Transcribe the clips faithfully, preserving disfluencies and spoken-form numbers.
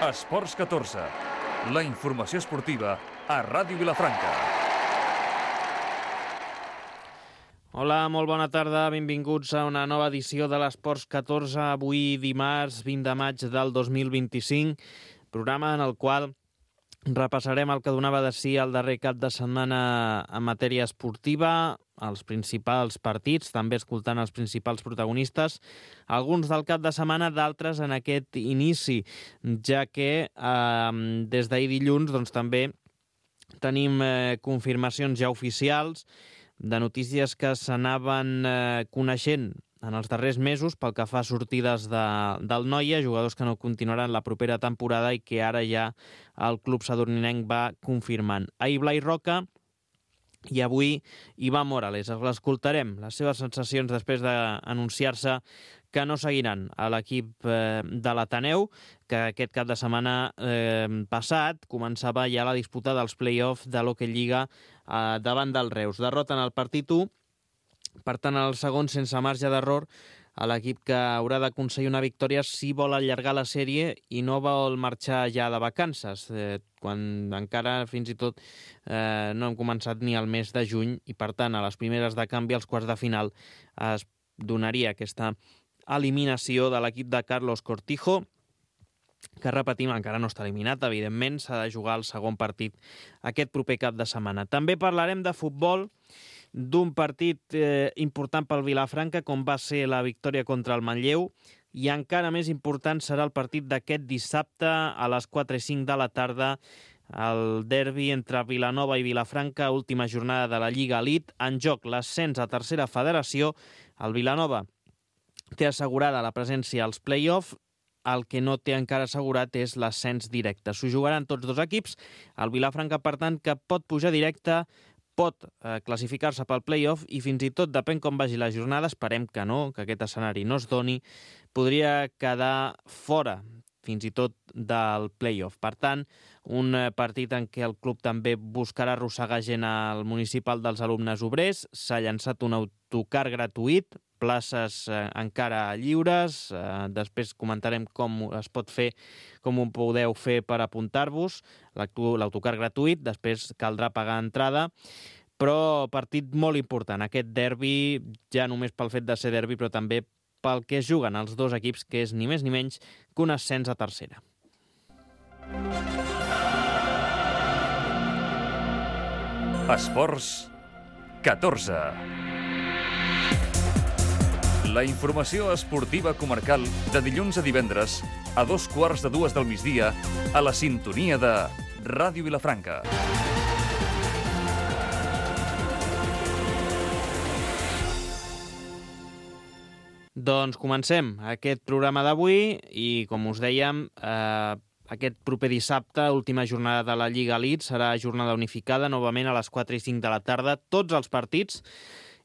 Esports catorze, la informació esportiva a Ràdio Vilafranca. Hola, molt bona tarda, benvinguts a una nova edició de l'Esports catorze, avui dimarts vint de maig del dos mil vint-i-cinc, programa en el qual repassarem el que donava de si el darrer cap de setmana en matèria esportiva, els principals partits, també escoltant els principals protagonistes, alguns del cap de setmana, d'altres en aquest inici, ja que eh, des d'ahir dilluns doncs, també tenim eh, confirmacions ja oficials de notícies que s'anaven eh, coneixent en els darrers mesos pel que fa a sortides de, del Noia, jugadors que no continuaran la propera temporada i que ara ja el club sadurninenc va confirmant. Ahir Blai Roca i avui Ivan Morales. L'escoltarem, les seves sensacions després d'anunciar-se que no seguiran a l'equip eh, de l'Ateneu, que aquest cap de setmana eh, passat començava ja la disputa dels play-offs de l'Hockey Lliga eh, davant del Reus. Derroten el partit u, per tant el segon sense marge d'error a l'equip que haurà d'aconseguir una victòria si vol allargar la sèrie i no vol marxar ja de vacances, eh, quan encara fins i tot eh, no hem començat ni el mes de juny i per tant a les primeres de canvi, als quarts de final, es donaria aquesta eliminació de l'equip de Carlos Cortijo, que repetim, encara no està eliminat, evidentment, s'ha de jugar el segon partit aquest proper cap de setmana. També parlarem de futbol, d'un partit eh, important pel Vilafranca, com va ser la victòria contra el Manlleu, i encara més important serà el partit d'aquest dissabte a les quatre i cinc de la tarda, el derbi entre Vilanova i Vilafranca, última jornada de la Lliga Elite, en joc l'ascens a tercera federació. El Vilanova té assegurada la presència als play-off, el que no té encara assegurat és l'ascens directe. S'ho jugaran tots dos equips, el Vilafranca, per tant, que pot pujar directe, pot eh, classificar-se pel play-off i fins i tot, depèn com vagi la jornada, esperem que no, que aquest escenari no es doni, podria quedar fora fins i tot del play-off. Per tant, un eh, partit en què el club també buscarà arrossegar gent al municipal dels alumnes obrers, s'ha llançat un autocar gratuït, places eh, encara lliures, eh, després comentarem com es pot fer, com ho podeu fer per apuntar-vos, l'autocar gratuït, després caldrà pagar entrada, però partit molt important, aquest derbi, ja només pel fet de ser derbi, però també pel que juguen els dos equips, que és ni més ni menys que un ascens a tercera. Esports catorze. La informació esportiva comarcal de dilluns a divendres a dos quarts de dues del migdia a la sintonia de Ràdio Vilafranca. Doncs comencem aquest programa d'avui i, com us dèiem, eh, aquest proper dissabte, última jornada de la Lliga Elite, serà jornada unificada, novament a les quatre i cinc de la tarda, tots els partits,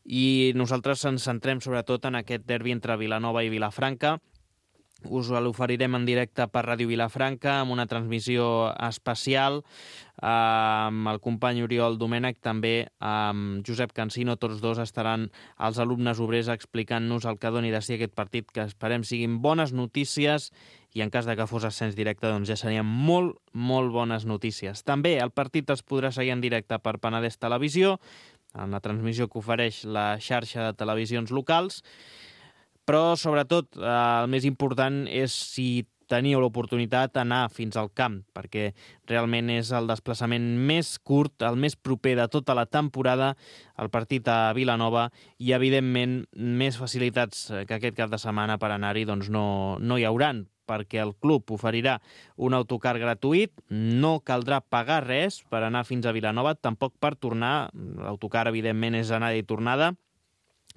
i nosaltres ens centrem sobretot en aquest derbi entre Vilanova i Vilafranca. Us l'oferirem en directe per Ràdio Vilafranca amb una transmissió especial eh, amb el company Oriol Domènech, també amb Josep Cansino. Tots dos estaran els alumnes obrers explicant-nos el que doni de si aquest partit, que esperem siguin bones notícies, i en cas de que fos ascens directe doncs ja serien molt, molt bones notícies. També el partit es podrà seguir en directe per Penedès Televisió, en la transmissió que ofereix la xarxa de televisions locals, però sobretot eh, el més important és si teniu l'oportunitat d'anar fins al camp, perquè realment és el desplaçament més curt, el més proper de tota la temporada, el partit a Vilanova, i evidentment més facilitats que aquest cap de setmana per anar-hi doncs no, no hi hauran, perquè el club oferirà un autocar gratuït, no caldrà pagar res per anar fins a Vilanova, tampoc per tornar, l'autocar evidentment és anada i tornada,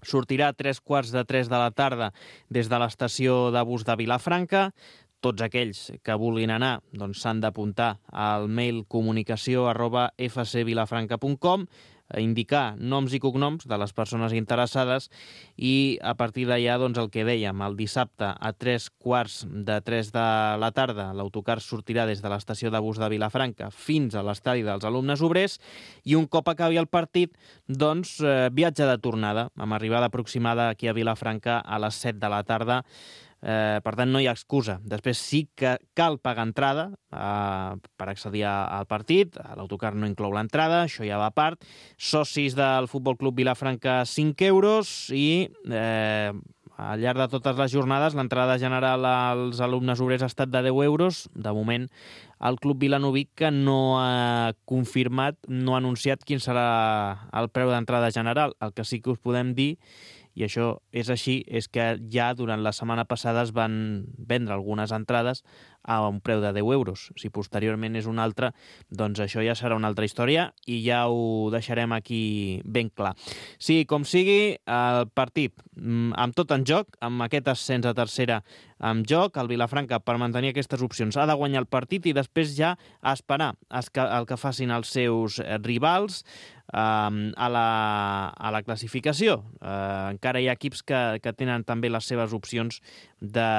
sortirà a tres quarts de tres de la tarda des de l'estació de bus de Vilafranca. Tots aquells que vulguin anar doncs s'han d'apuntar al mail comunicació arroba f c vilafranca punt com, indicar noms i cognoms de les persones interessades i a partir d'allà doncs el que dèiem, el dissabte a tres quarts de tres de la tarda l'autocar sortirà des de l'estació de bus de Vilafranca fins a l'estadi dels alumnes obrers i un cop acabi el partit doncs eh, viatge de tornada amb arribada aproximada aquí a Vilafranca a les set de la tarda Eh, per tant, no hi ha excusa. Després sí que cal pagar entrada eh, per accedir al partit. L'autocar no inclou l'entrada, això ja va a part. Socis del Futbol Club Vilafranca, cinc euros i eh, al llarg de totes les jornades l'entrada general als alumnes obrers ha estat de deu euros. De moment, el Club Vilanovic, que no ha confirmat, no ha anunciat quin serà el preu d'entrada general. El que sí que us podem dir, i això és així, és que ja durant la setmana passada es van vendre algunes entrades a un preu de deu euros. Si posteriorment és un altre, doncs això ja serà una altra història i ja ho deixarem aquí ben clar. Sí, com sigui, el partit amb tot en joc, amb aquest ascens a tercera en joc, el Vilafranca, per mantenir aquestes opcions, ha de guanyar el partit i després ja esperar el que facin els seus rivals a la, a la classificació. Eh, encara hi ha equips que, que tenen també les seves opcions de,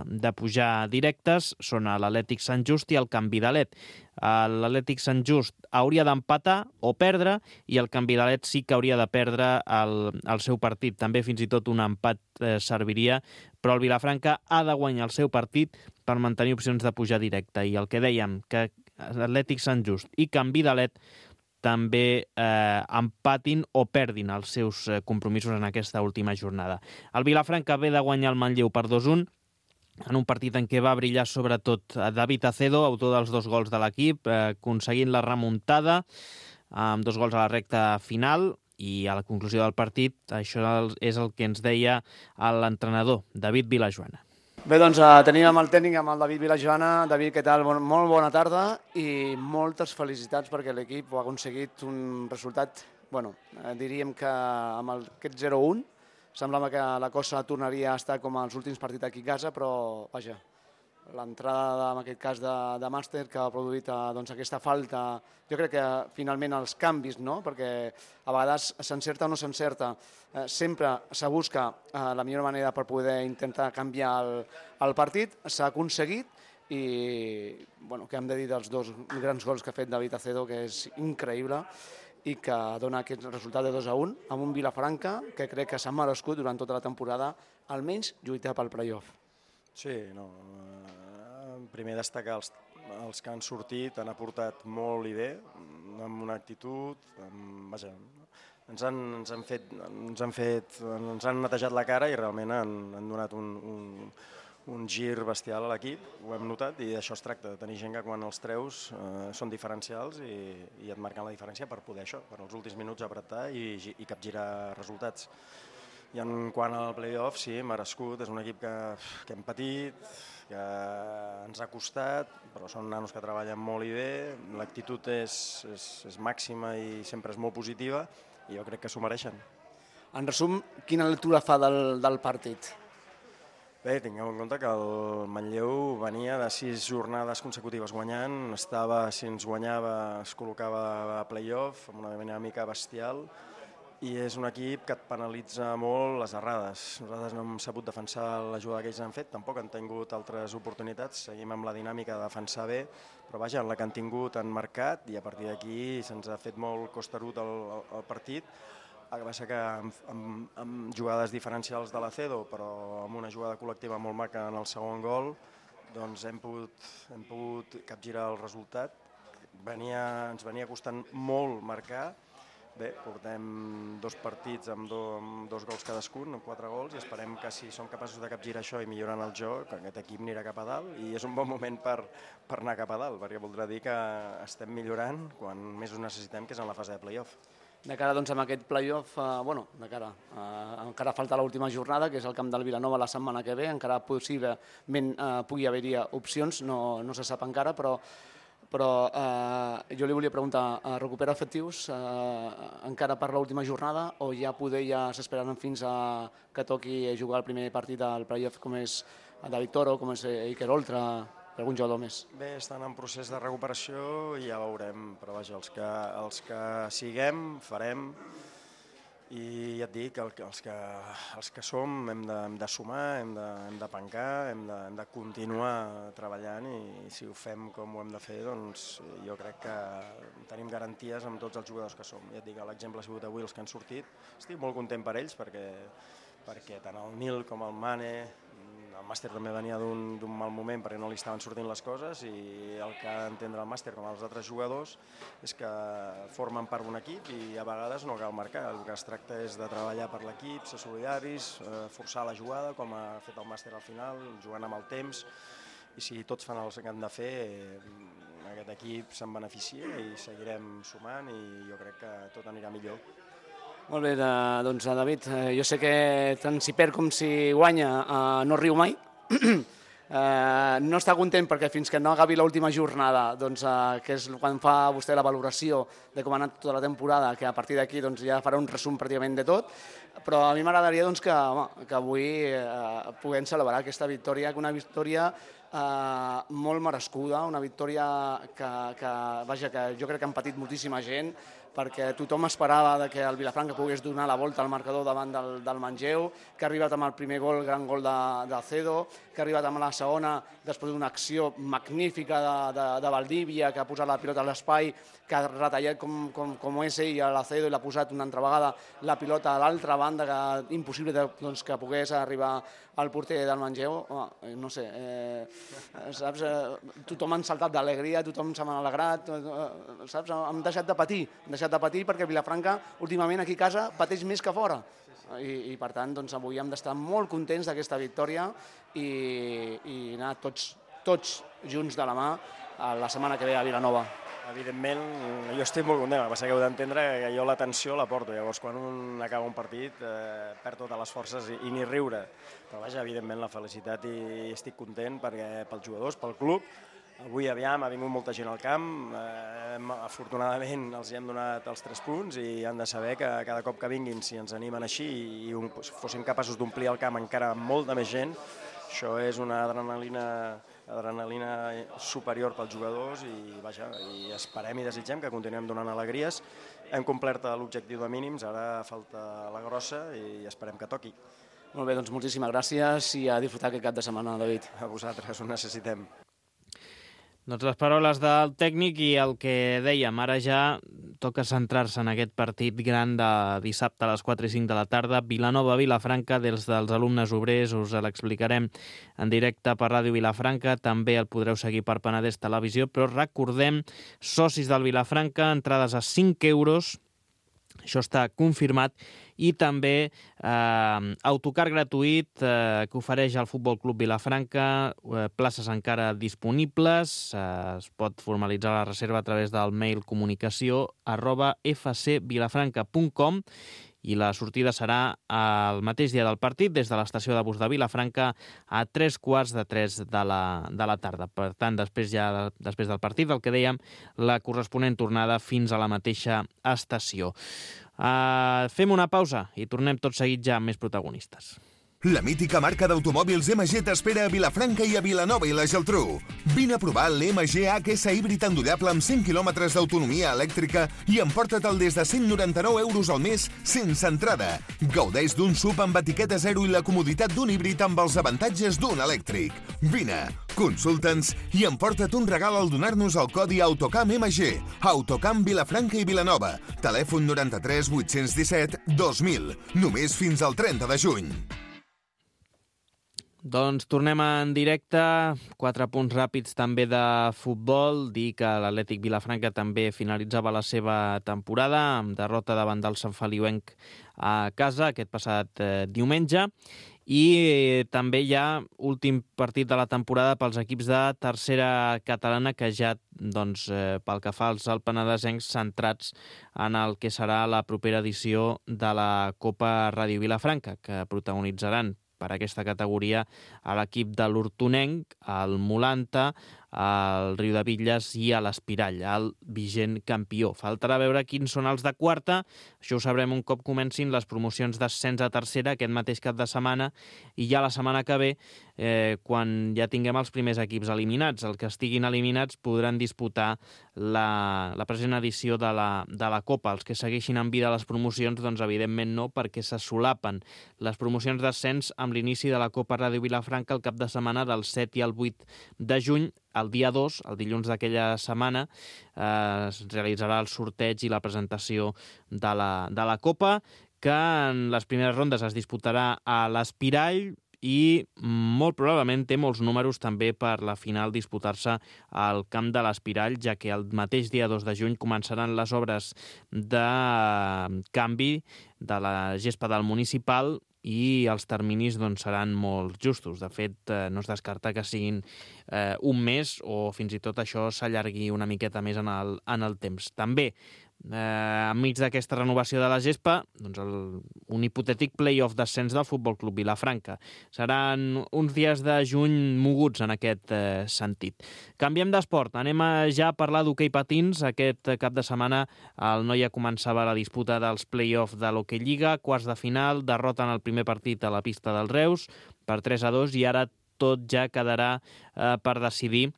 de pujar directes, són l'Atlètic Sant Just i el Can Vidalet. L'Atlètic Sant Just hauria d'empatar o perdre i el Can Vidalet sí que hauria de perdre el, el seu partit. També fins i tot un empat eh, serviria, però el Vilafranca ha de guanyar el seu partit per mantenir opcions de pujar directe. I el que dèiem, que Atlètic Sant Just i Can Vidalet també eh, empatin o perdin els seus eh, compromisos en aquesta última jornada. El Vilafranca ve de guanyar el Manlleu per dos a un, en un partit en què va brillar sobretot David Acedo, autor dels dos gols de l'equip, eh, aconseguint la remuntada amb dos gols a la recta final, i a la conclusió del partit això és el que ens deia l'entrenador, David Vilajoana. Bé, doncs uh, tenim amb el tècnic, amb el David Vilajoana. David, què tal? Bon, molt bona tarda i moltes felicitats perquè l'equip ha aconseguit un resultat, bueno, eh, diríem que amb el, aquest zero a un semblava que la cosa tornaria a estar com els últims partits aquí a casa, però vaja, l'entrada en aquest cas de, de Màster que ha produït doncs, aquesta falta, jo crec que finalment els canvis, no? Perquè a vegades s'encerta o no s'encerta, eh, sempre se busca eh, la millor manera per poder intentar canviar el, el partit, s'ha aconseguit i bueno, què hem de dir dels dos grans gols que ha fet David Acedo, que és increïble i que dona aquest resultat de dos a un amb un Vilafranca que crec que s'ha merescut durant tota la temporada almenys lluitar pel play-off. Sí, no, primer destacar els, els que han sortit, han aportat molt i bé, amb una actitud, amb, vaja, ens han, ens han fet, ens han fet, ens han netejat la cara i realment han, han donat un, un, un gir bestial a l'equip, ho hem notat, i d'això es tracta, de tenir gent que quan els treus eh, són diferencials i, i et marquen la diferència per poder això, per als últims minuts apretar i, i capgirar resultats. I en quant al play-off, sí, merescut, és un equip que, que hem patit, que ens ha costat, però són nanos que treballen molt i bé, l'actitud és, és, és màxima i sempre és molt positiva i jo crec que s'ho mereixen. En resum, quina lectura fa del, del partit? Bé, tingueu en compte que el Manlleu venia de sis jornades consecutives guanyant, estava, si ens guanyava, es col·locava a play-off amb una dinàmica bestial, i és un equip que et penalitza molt les errades. Nosaltres no hem sabut defensar la jugada que ells han fet, tampoc han tingut altres oportunitats, seguim amb la dinàmica de defensar bé, però vaja, en la que han tingut han marcat i a partir d'aquí se'ns ha fet molt costerut el, el partit. El que passa que amb, amb, amb jugades diferencials de l'Acedo, però amb una jugada col·lectiva molt maca en el segon gol, doncs hem pogut, hem pogut capgirar el resultat. Venia, ens venia costant molt marcar. Bé, portem dos partits amb, do, amb dos gols cadascun, amb quatre gols, i esperem que si som capaços de capgirar això i millorant el joc, aquest equip anirà cap a dalt i és un bon moment per, per anar cap a dalt, perquè voldrà dir que estem millorant quan més ho necessitem, que és en la fase de play-off. De cara doncs, amb aquest play-off, eh, bueno, de cara, eh, encara falta l'última jornada, que és el camp del Vilanova la setmana que ve, encara possiblement eh, pugui haver-hi opcions, no, no se sap encara, però però eh, jo li volia preguntar, eh, recupera efectius eh, encara per l'última jornada o ja poder ja s'esperaran fins a que toqui jugar el primer partit del play-off com és David Toro, com és Iker Oltra, algun jugador més? Bé, estan en procés de recuperació i ja veurem, però vaja, els que, els que siguem farem i ja et dic, el, els, que, els que som hem de, hem de sumar, hem de, hem de pencar, hem de, hem de continuar treballant i si ho fem com ho hem de fer, doncs jo crec que tenim garanties amb tots els jugadors que som. Ja et dic, l'exemple ha sigut avui els que han sortit. Estic molt content per ells perquè, perquè tant el Nil com el Mane el màster també venia d'un mal moment perquè no li estaven sortint les coses i el que ha d'entendre el màster com els altres jugadors és que formen part d'un equip i a vegades no cal marcar. El que es tracta és de treballar per l'equip, ser solidaris, forçar la jugada com ha fet el màster al final, jugant amb el temps, i si tots fan el que han de fer, aquest equip se'n beneficia i seguirem sumant i jo crec que tot anirà millor. Molt bé, doncs David, jo sé que tant si perd com si guanya no riu mai. No està content perquè fins que no acabi l'última jornada, que és quan fa vostè la valoració de com ha anat tota la temporada, que a partir d'aquí ja farà un resum pràcticament de tot, però a mi m'agradaria que avui puguem celebrar aquesta victòria, una victòria molt merescuda, una victòria que jo crec que han patit moltíssima gent, perquè tothom esperava que el Vilafranca pogués donar la volta al marcador davant del Manlleu, que ha arribat amb el primer gol, el gran gol de Cedo, que ha arribat amb la segona després d'una acció magnífica de Valdívia, que ha posat la pilota a l'espai, que ha retallat com és ell a l'Acedo i l'ha posat una altra vegada la pilota a l'altra banda, que impossible que pogués arribar al porter del Manlleu. No sé, saps? Tothom han saltat d'alegria, tothom s'ha alegrat, saps? Hem deixat de patir, hem deixat de patir perquè Vilafranca últimament aquí a casa pateix més que fora. I per tant avui hem d'estar molt contents d'aquesta victòria i anar tots junts de la mà la setmana que ve a Vilanova. Evidentment, jo estic molt content, el que passa que heu d'entendre que jo la tensió la porto, llavors quan un acaba un partit perd totes les forces i ni riure, però vaja, evidentment la felicitat i estic content perquè pels jugadors, pel club. Avui aviam, ha vingut molta gent al camp, afortunadament els hem donat els tres punts i han de saber que cada cop que vinguin, si ens animen així i fóssim capaços d'omplir el camp encara amb molta més gent, això és una adrenalina adrenalina superior pels jugadors i vaja, i esperem i desitgem que continuem donant alegries. Hem complert l'objectiu de mínims, ara falta la grossa i esperem que toqui. Molt bé, doncs moltíssimes gràcies i a disfrutar aquest cap de setmana, David. A vosaltres, ho necessitem. Doncs les paraules del tècnic i el que dèiem, ara ja toca centrar-se en aquest partit gran de dissabte a les quatre i cinc de la tarda, Vilanova-Vilafranca, des dels alumnes obrers, us l'explicarem en directe per Ràdio Vilafranca, també el podreu seguir per Penedès Televisió, però recordem, socis del Vilafranca, entrades a cinc euros, això està confirmat, i també eh, autocar gratuït eh, que ofereix el Futbol Club Vilafranca, eh, places encara disponibles, eh, es pot formalitzar la reserva a través del mail comunicació arroba f c vilafranca punt com i la sortida serà el mateix dia del partit des de l'estació de bus de Vilafranca a tres quarts de tres de la, de la tarda. Per tant, després ja després del partit, el que dèiem, la corresponent tornada fins a la mateixa estació. Uh, fem una pausa i tornem tot seguit ja amb més protagonistes. La mítica marca d'automòbils M G t'espera a Vilafranca i a Vilanova i la Geltrú. Vine a provar l'M G H S híbrid endollable amb cent quilòmetres d'autonomia elèctrica i emporta-te'l des de cent noranta-nou euros al mes sense entrada. Gaudeix d'un S U V amb etiqueta zero i la comoditat d'un híbrid amb els avantatges d'un elèctric. Vine, consulta'ns i emporta't un regal al donar-nos el codi Autocam M G. Autocam Vilafranca i Vilanova. Telèfon noranta-tres vuit-cents disset dos mil. Només fins al trenta de juny. Doncs tornem en directe, quatre punts ràpids també de futbol, dir que l'Atlètic Vilafranca també finalitzava la seva temporada amb derrota davant del Sant Feliuenc a casa aquest passat eh, diumenge, i eh, també hi ha últim partit de la temporada pels equips de tercera catalana que ja, doncs, eh, pel que fa als alpenadesencs, centrats en el que serà la propera edició de la Copa Ràdio Vilafranca, que protagonitzaran per aquesta categoria a l'equip de l'Hortonenc, el Molanta, al Riu de Bitlles i a l'Espirall, el vigent campió. Faltarà veure quins són els de quarta, això ho sabrem un cop comencin les promocions d'ascens a tercera aquest mateix cap de setmana, i ja la setmana que ve, eh, quan ja tinguem els primers equips eliminats. Els que estiguin eliminats podran disputar la, la present edició de la, de la Copa. Els que segueixin en vida les promocions, doncs evidentment no, perquè se solapen les promocions d'ascens amb l'inici de la Copa Ràdio Vilafranca el cap de setmana del set i el vuit de juny. El dia dos, el dilluns d'aquella setmana, eh, es realitzarà el sorteig i la presentació de la, de la Copa, que en les primeres rondes es disputarà a l'Espirall i molt probablement té molts números també per la final disputar-se al camp de l'Espirall, ja que el mateix dia dos de juny començaran les obres de canvi de la gespa del municipal i els terminis doncs, seran molt justos. De fet, eh, no es descarta que siguin eh, un mes o fins i tot això s'allargui una miqueta més en el, en el temps. També, eh, enmig d'aquesta renovació de la gespa, doncs el, un hipotètic play-off d'ascens del Futbol Club Vilafranca. Seran uns dies de juny moguts en aquest eh, sentit. Canviem d'esport. Anem a ja a parlar d'hoquei patins. Aquest cap de setmana el Noia començava la disputa dels play-off de l'Hockey Lliga, quarts de final, derrota en el primer partit a la pista del Reus per tres a dos i ara tot ja quedarà eh, per decidir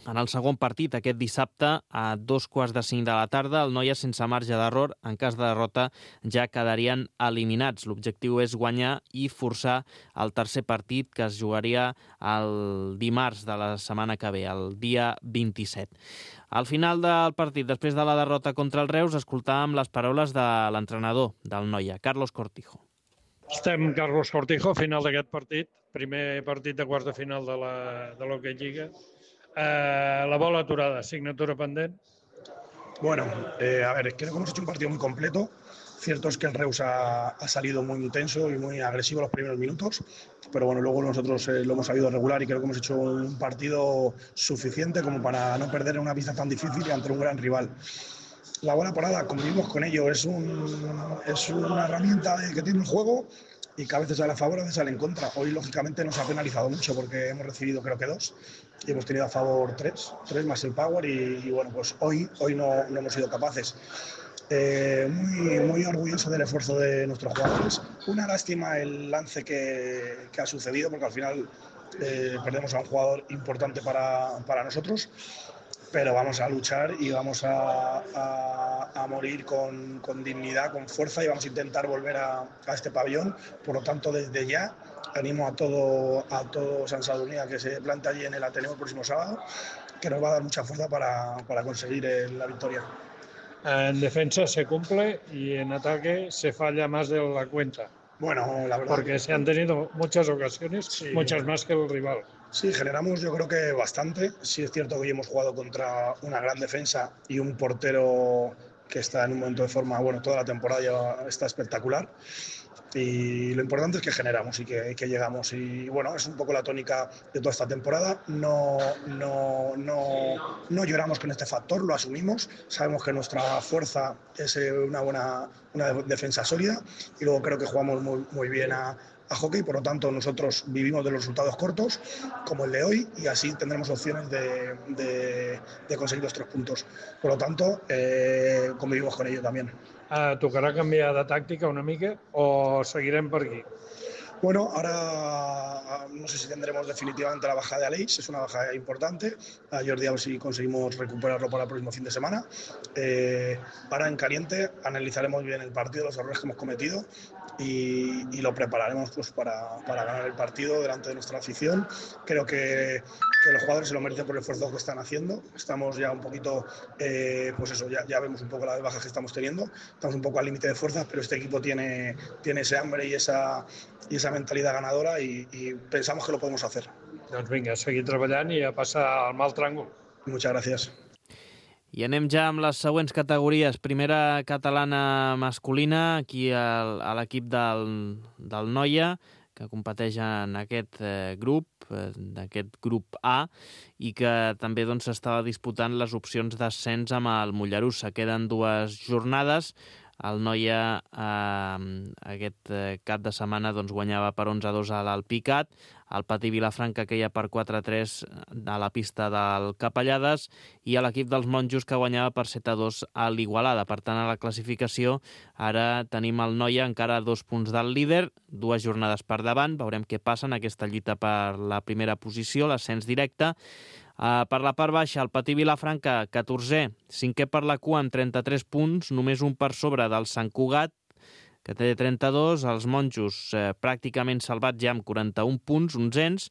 en el segon partit aquest dissabte a dos quarts de cinc de la tarda. El Noia, sense marge d'error, en cas de derrota ja quedarien eliminats. L'objectiu és guanyar i forçar el tercer partit que es jugaria el dimarts de la setmana que ve, el dia vint-i-set. Al final del partit, després de la derrota contra el Reus, escoltàvem les paraules de l'entrenador del Noia, Carlos Cortijo. Estem Carlos Cortijo, final d'aquest partit, primer partit de quarts de final de la, de l'Hockey Lliga. Eh, la bola aturada, signatura pendent. Bueno, eh, a ver, creo que hemos hecho un partido muy completo. Cierto es que el Reus ha, ha salido muy intenso y muy agresivo los primeros minutos, pero bueno, luego nosotros eh, lo hemos sabido regular y creo que hemos hecho un partido suficiente como para no perder en una pista tan difícil y ante un gran rival. La bola parada, convivimos con ello, es, un, es una herramienta que tiene el juego y que a veces sale a favor, a veces sale en contra. Hoy, lógicamente, nos ha penalizado mucho porque hemos recibido creo que dos y hemos tenido a favor tres, tres más el power y, y bueno, pues hoy, hoy no, no hemos sido capaces. Eh, muy, muy orgulloso del esfuerzo de nuestros jugadores. Una lástima el lance que, que ha sucedido porque al final eh, perdemos a un jugador importante para, para nosotros. Pero vamos a luchar y vamos a, a, a morir con, con dignidad, con fuerza y vamos a intentar volver a, a este pabellón. Por lo tanto, desde ya animo a todo, a todo San Sadurní a que se plante allí en el Ateneo el próximo sábado, que nos va a dar mucha fuerza para, para conseguir el, la victoria. En defensa se cumple y en ataque se falla más de la cuenta. Bueno, la verdad. Porque se han tenido muchas ocasiones, sí, muchas más que el rival. Sí, generamos yo creo que bastante. Sí es cierto que hoy hemos jugado contra una gran defensa y un portero que está en un momento de forma, bueno, toda la temporada ya está espectacular. Y lo importante es que generamos y que, que llegamos. Y bueno, es un poco la tónica de toda esta temporada. No, no, no, no lloramos con este factor, lo asumimos. Sabemos que nuestra fuerza es una buena una defensa sólida. Y luego creo que jugamos muy, muy bien a, a hockey. Por lo tanto, nosotros vivimos de los resultados cortos, como el de hoy, y así tendremos opciones de, de, de conseguir los tres puntos. Por lo tanto, eh, convivimos con ello también. Uh, tocarà canviar de tàctica una mica o seguirem per aquí? Bueno, ahora no sé si tendremos definitivamente la baja de Aleix, es una baja importante. A Jordi a ver si conseguimos recuperarlo para el próximo fin de semana. Eh, ahora en caliente analizaremos bien el partido, los errores que hemos cometido y, y lo prepararemos pues, para, para ganar el partido delante de nuestra afición. Creo que, que los jugadores se lo merecen por el esfuerzo que están haciendo. Estamos ya un poquito, eh, pues eso, ya, ya vemos un poco las bajas que estamos teniendo. Estamos un poco al límite de fuerzas, pero este equipo tiene, tiene ese hambre y esa... y esa mentalidad ganadora y, y pensamos que lo podemos hacer. Doncs vinga, seguir treballant i a passar al mal tràngol. Muchas gracias. I anem ja amb les següents categories. Primera catalana masculina, aquí al, a l'equip del, del Noia, que competeix en aquest eh, grup, eh, d'aquest grup A, i que també doncs, s'estava disputant les opcions d'ascens amb el Mollerussa. Queden dues jornades. El Noia eh, aquest eh, cap de setmana doncs, guanyava per onze a dos a l'Alpicat, el Patí Vilafranca queia per quatre a tres a la pista del Capellades i l'equip dels Monjos que guanyava per set a dos a l'Igualada. Per tant, a la classificació ara tenim el Noia encara a dos punts del líder, dues jornades per davant, veurem què passa en aquesta lluita per la primera posició, l'ascens directe. Uh, per la part baixa, el Patí Vilafranca, catorzè, cinquè per la cua amb trenta-tres punts, només un per sobre del Sant Cugat, que té trenta-dos, els Monjos eh, pràcticament salvats ja amb quaranta-un punts, onzens,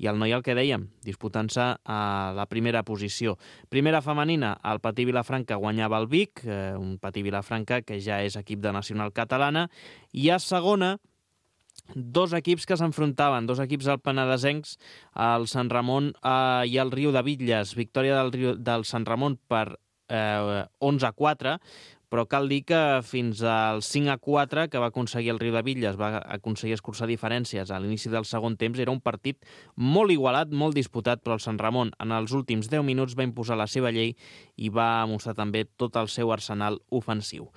i el Noia, el que dèiem, disputant-se a la primera posició. Primera femenina, el Patí Vilafranca guanyava el Vic, eh, un Patí Vilafranca que ja és equip de nacional catalana, i a segona, dos equips que s'enfrontaven, dos equips alpenadesencs, el Sant Ramon eh, i el Riu de Bitlles. Victòria del, Riu, del Sant Ramon per eh, onze a quatre, però cal dir que fins al cinc a quatre que va aconseguir el Riu de Bitlles, va aconseguir escurçar diferències a l'inici del segon temps, era un partit molt igualat, molt disputat, però el Sant Ramon en els últims deu minuts va imposar la seva llei i va mostrar també tot el seu arsenal ofensiu.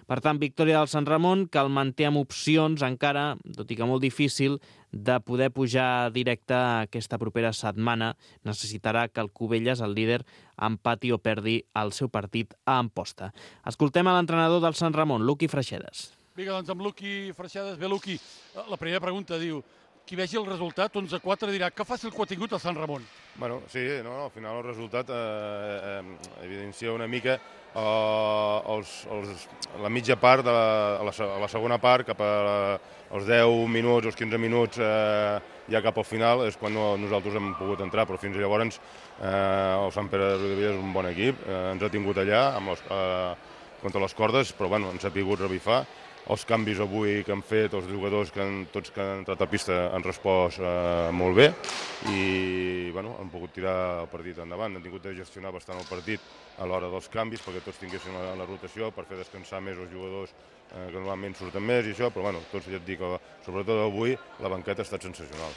Per tant, victòria del Sant Ramon, que el manté amb opcions encara, tot i que molt difícil, de poder pujar directe aquesta propera setmana. Necessitarà que el Cubelles, el líder, empati o perdi el seu partit a Amposta. Escoltem a l'entrenador del Sant Ramon, Luqui Freixedes. Vinga, doncs amb Luqui Freixedes. Bé, Luqui, la primera pregunta diu, qui vegi el resultat, onze a quatre, dirà que fàcil que ho ha tingut el Sant Ramon. Bueno, sí, no, no, al final el resultat eh, eh, evidencia una mica eh, els, els, la mitja part, de la, a, la, a la segona part, cap als deu minuts, els quinze minuts, eh, ja cap al final, és quan no, nosaltres hem pogut entrar, però fins llavors eh, el Sant Pere de Riudebitlles és un bon equip, eh, ens ha tingut allà amb les, eh, contra les cordes, però bueno, ens ha pogut revifar. Els canvis avui que han fet, els jugadors que han, tots que han entrat a pista han respost eh, molt bé i bueno, han pogut tirar el partit endavant. Han tingut de gestionar bastant el partit a l'hora dels canvis perquè tots tinguessin la, la rotació per fer descansar més els jugadors eh, que normalment surten més i això, però bueno, tots ja et dic, sobretot avui la banqueta ha estat sensacional.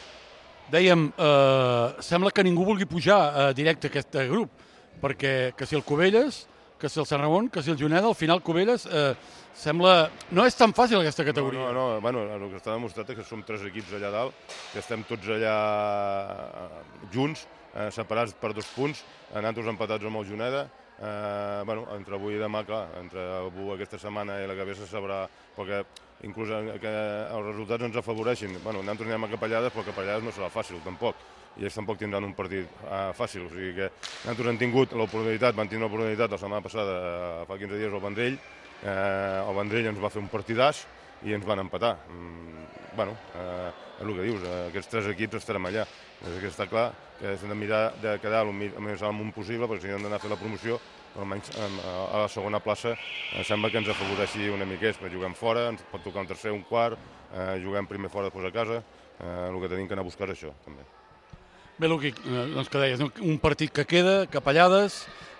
Dèiem, eh, sembla que ningú vulgui pujar eh, directe a aquest grup, perquè que si el Cubelles, que si el Sant Ramon, que si el Juneda, al final Cubelles eh, sembla... No és tan fàcil aquesta categoria. No, no, no, bueno, el que està demostrat és que som tres equips allà dalt, que estem tots allà junts, eh, separats per dos punts, nosaltres empatats amb el Juneda. Eh, bueno, entre avui i demà, clar, entre avui aquesta setmana i la que ve se sabrà, perquè inclús que els resultats ens afavoreixin. Bueno, nosaltres anem a Capellades, però Capellades no serà fàcil, tampoc. I ells tampoc tindran un partit uh, fàcil. O sigui que nosaltres hem tingut l'oportunitat, van tindre l'oportunitat la setmana passada, uh, fa quinze dies, al Vendrell. Uh, el Vendrell ens va fer un partidàs i ens van empatar. Mm, bueno, uh, és el que dius, uh, aquests tres equips estarem allà. És que està clar que hem de mirar de quedar el més amunt possible, perquè si no hem d'anar a fer la promoció, però almenys a la segona plaça uh, sembla que ens afavoreixi una mica, perquè juguem fora, ens pot tocar un tercer, un quart, uh, juguem primer fora, després a casa, uh, el que tenim que anar a buscar és això, també. Bé, Luqui, doncs que deies, un partit que queda, Capellades,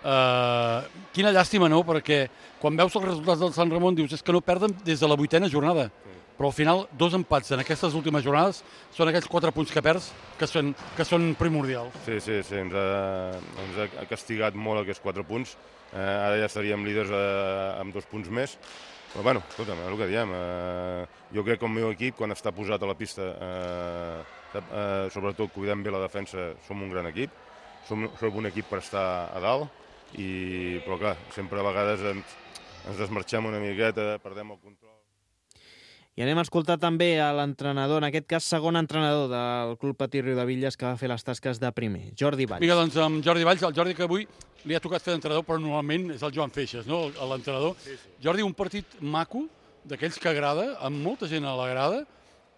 eh, quina llàstima, no?, perquè quan veus els resultats del Sant Ramon dius és que no perden des de la vuitena jornada, sí. Però al final dos empats en aquestes últimes jornades són aquells quatre punts que perds que són, que són primordials. Sí, sí, sí, ens ha, ens ha castigat molt aquests quatre punts, eh, ara ja estaríem líders eh, amb dos punts més, però bueno, escolta'm, és el que diem, eh, jo crec que el meu equip quan està posat a la pista, eh, Uh, sobretot cuidem bé la defensa, som un gran equip, som, som un equip per estar a dalt, i, però clar, sempre a vegades ens, ens desmarxem una miqueta, perdem el control. I anem a escoltar també a l'entrenador, en aquest cas segon entrenador del Club Patí Riudebitlles que va fer les tasques de primer, Jordi Valls. Vinga, doncs amb Jordi Valls, el Jordi que avui li ha tocat fer d'entrenador, però normalment és el Joan Feixes, no?, l'entrenador. Sí, sí. Jordi, un partit maco, d'aquells que agrada, amb molta gent a la grada,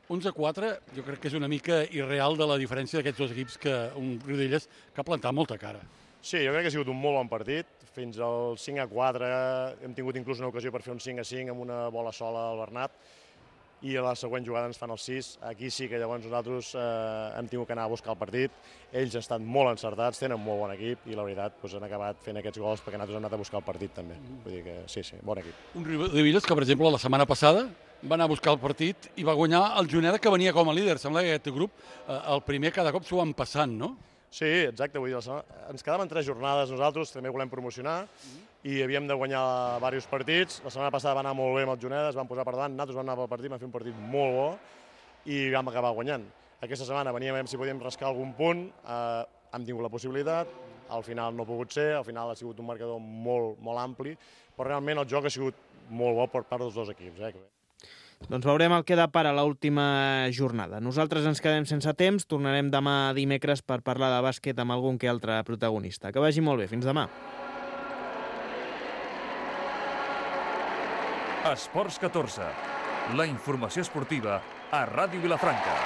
onze a quatre, jo crec que és una mica irreal de la diferència d'aquests dos equips, que un Riudebitlles que ha plantat molta cara. Sí, jo crec que ha sigut un molt bon partit. Fins al cinc a quatre hem tingut inclús una ocasió per fer un cinc a cinc amb una bola sola al Bernat, i a la següent jugada ens fan el sis. Aquí sí que llavors nosaltres eh, hem tingut que anar a buscar el partit. Ells estan molt encertats, tenen molt bon equip i la veritat doncs, han acabat fent aquests gols perquè nosaltres hem anat a buscar el partit també. Vull dir que sí, sí, bon equip. Un Riudebitlles que, per exemple, la setmana passada va anar a buscar el partit i va guanyar el Juneda, que venia com a líder. Sembla que aquest grup, eh, el primer cada cop s'ho van passant, no? Sí, exacte. Vull dir, ens quedaven tres jornades nosaltres, també volem promocionar, mm-hmm. i havíem de guanyar diversos partits. La setmana passada va anar molt bé amb el Juneda, es van posar per davant, nosaltres vam anar pel partit, vam fer un partit molt bo i vam acabar guanyant. Aquesta setmana veníem a veure si podíem rascar algun punt, eh, hem tingut la possibilitat, al final no ha pogut ser, al final ha sigut un marcador molt, molt ampli, però realment el joc ha sigut molt bo per part dels dos equips. Eh? Doncs veurem el que depara l'última jornada. Nosaltres ens quedem sense temps, tornarem demà dimecres per parlar de bàsquet amb algun que altre protagonista. Que vagi molt bé, fins demà. Esports catorze, la informació esportiva a Ràdio Vilafranca.